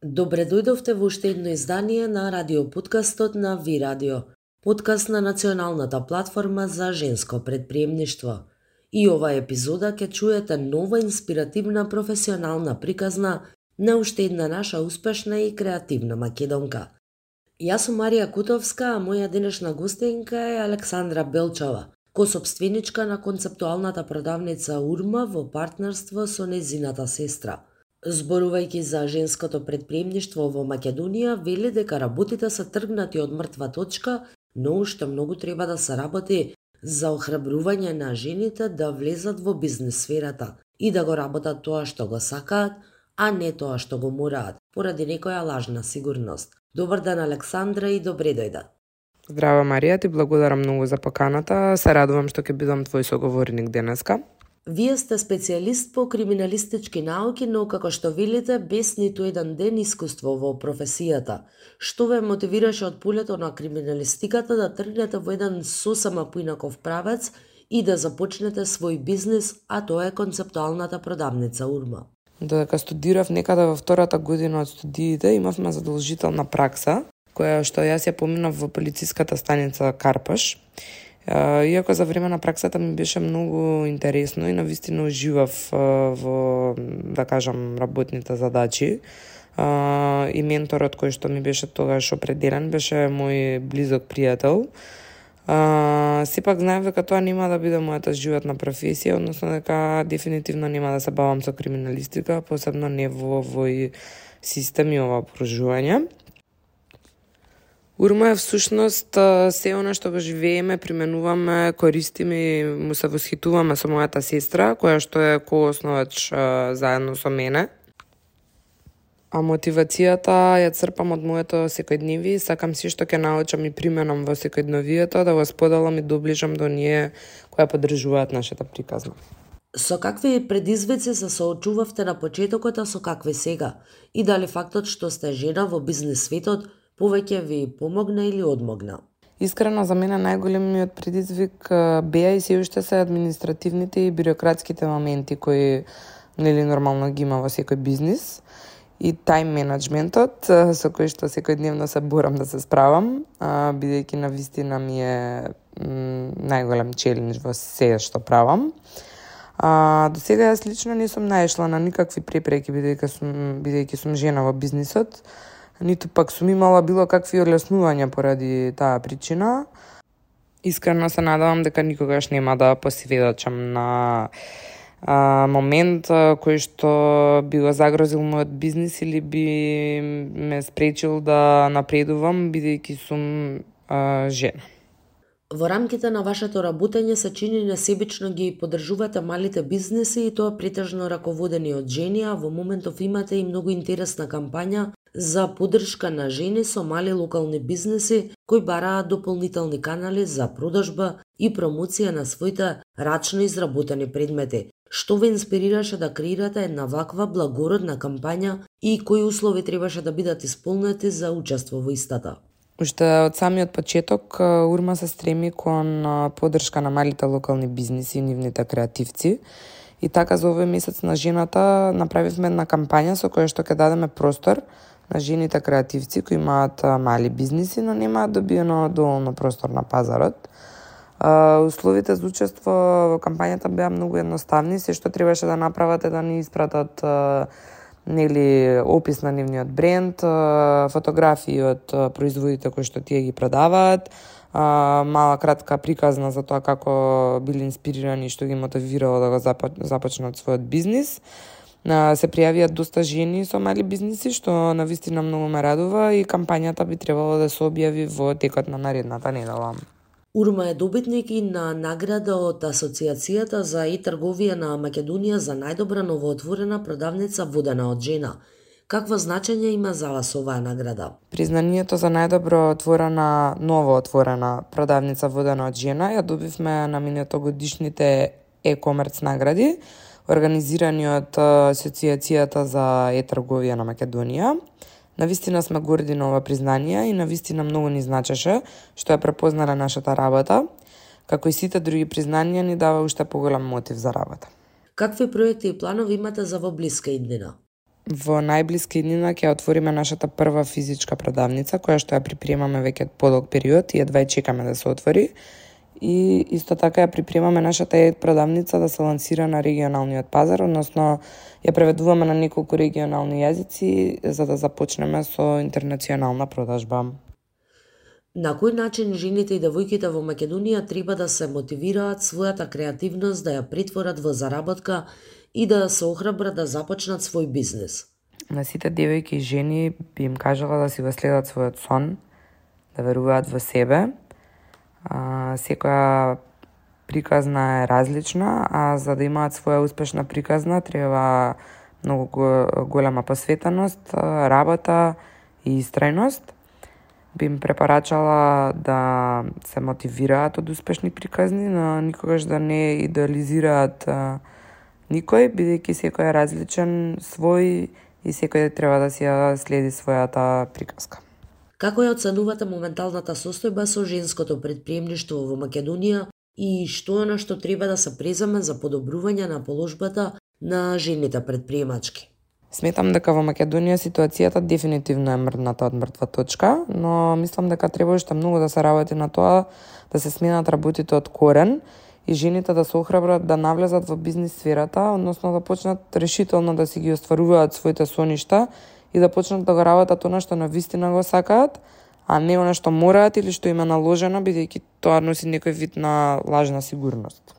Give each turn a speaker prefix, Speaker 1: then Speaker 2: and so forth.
Speaker 1: Добре дојдовте во уште едно издание на радиоподкастот на Ви Радио, подкаст на националната платформа за женско предприемништво. И оваа епизода ќе чуете нова инспиративна професионална приказна на уште една наша успешна и креативна македонка. Јас сум Марија Кутовска, а моја денешна гостинка е Александра Белчова, косопственичка на концептуалната продавница Урма во партнерство со незината сестра. Зборувајќи за женското предприемништво во Македонија, вели дека работите се тргнати од мртва точка, но уште многу треба да се работи за охрабрување на жените да влезат во бизнес сферата и да го работат тоа што го сакаат, а не тоа што го мораат, поради некоја лажна сигурност. Добар ден, Александра, и добре дојде.
Speaker 2: Здраво, Марија, ти благодарам многу за поканата. Се радувам што ќе бидам твој соговорник денеска.
Speaker 1: Вие сте специјалист по криминалистички науки, но како што велите, без ниту еден ден искуство во професијата. Што ве мотивираше од полето на криминалистиката да тргнете во еден сосема поинаков правец и да започнете свој бизнис, а тоа е концептуалната продавница Урма?
Speaker 2: Додека студирав некаде во втората година од студиите, имавме задолжителна пракса, која што јас ја поминав во полициската станица Карпаш. Иако за време на праксата ми беше многу интересно и навистина уживав во, да кажам, работните задачи. И менторот кој што ми беше тогаш определен беше мој близок пријател. Сепак знаев дека тоа нема да биде мојата животна професија, односно дека дефинитивно нема да се бавам со криминалистика, посебно не во овој систем и ова окружување. Урма е всушност се она што го живееме, применуваме, користиме и му се восхитуваме со мојата сестра, која што е коосновач заедно со мене. А мотивацијата ја црпам од моето секојдневие и сакам се што ќе научам и применам во секојдневието да го споделам и доближам до ние која поддржуваат нашата приказна.
Speaker 1: Со какви предизвици се соочувавте на почетокот, а со какви сега? И дали фактот што сте жена во бизнес светот повеќе ви помогна или одмогна?
Speaker 2: Искрено, за мене најголемиот предизвик беа и се уште се административните и бирократските моменти кои нормално ги има во секој бизнис и тајм менеджментот со кој што секојдневно се борам да се справам, бидејќи навистина ми е најголем челендж во се што правам. До сега јас лично не сум наишла на никакви препреки бидејќи сум жена во бизнисот, ниту пак сум имала било какви олеснувања поради таа причина. Искрено се надевам дека никогаш нема да посведочам на момент кој што би го загрозил мојот бизнис или би ме спречил да напредувам бидејќи сум жена.
Speaker 1: Во рамките на вашето работење се чини несебично ги поддржувате малите бизниси и тоа претежно раководени од жени, а во моментов имате и многу интересна кампања за поддршка на жени со мали локални бизниси кои бараат дополнителни канали за продажба и промоција на своите рачно изработени предмети. Што ве инспирираше да креирате една ваква благородна кампања и кои услови требаше да бидат исполнети за учество во истата?
Speaker 2: Уште од самиот почеток, Урма се стреми кон поддршка на малите локални бизниси и нивните креативци. И така за овој месец на жената направивме една кампања со која што ќе дадеме простор на жените креативци кои имаат мали бизниси, но немаат добиено доволно простор на пазарот. Условите за учество во кампањата беа многу едноставни, се што требаше да направат е да ни испратат опис на нивниот бренд, фотографии од производите кои што тие ги продаваат, мала кратка приказна за тоа како били инспирирани и што ги мотивирало да го започнат својот бизнис. Се пријавија доста жени со мали бизниси, што навистина многу ме радува и кампањата би требало да се објави во текот на наредната недела.
Speaker 1: Урма е добитник и на награда од Асоциацијата за e-трговија на Македонија за најдобра новоотворена продавница водена од жена. Какво значење има за вас оваа награда?
Speaker 2: Признанието за најдобро новоотворена продавница водена од жена ја добивме на минатогодишните e-комерц награди, организирани од Асоциацијата за e-трговија на Македонија. Навистина сме горди на ова признание и навистина многу ни значеше што ја препознале нашата работа, како и сите други признанија ни дава уште поголем мотив за работа.
Speaker 1: Какви проекти и планови имате за во блиска иднина?
Speaker 2: Во најблиски днина ќе отвориме нашата прва физичка продавница, која што ја припремаме веќе подолг период и едва чекаме да се отвори. И исто така ја припремаме нашата продавница да се лансира на регионалниот пазар, односно ја преведуваме на неколку регионални јазици за да започнеме со интернационална продажба.
Speaker 1: На кој начин жените и девојките во Македонија треба да се мотивираат својата креативност да ја претворат во заработка и да се охрабрат да започнат свој бизнес?
Speaker 2: На сите девојки и жени би им кажала да си го следат својот сон, да веруваат во себе. Секоја приказна е различна, а за да имаат своја успешна приказна треба многу голема посветеност, работа и истрајност. Би им препорачала да се мотивираат од успешни приказни, но никогаш да не идеализираат никој, бидејќи секој е различен, свој и секој треба да си ја следи својата приказка.
Speaker 1: Како ја оценувате моменталната состојба со женското претприемништво во Македонија и што е она што треба да се преземе за подобрување на положбата на жените претприемачки?
Speaker 2: Сметам дека во Македонија ситуацијата дефинитивно е мрдната од мртва точка, но мислам дека треба уште многу да се работи на тоа да се сменат работите од корен и жените да се охрабрат да навлезат во бизнис сферата, односно да почнат решително да си ги остваруваат своите соништа и да почнат да го работат она што навистина го сакаат, а не она што мораат или што им е наложено, бидејќи тоа носи некој вид на лажна сигурност.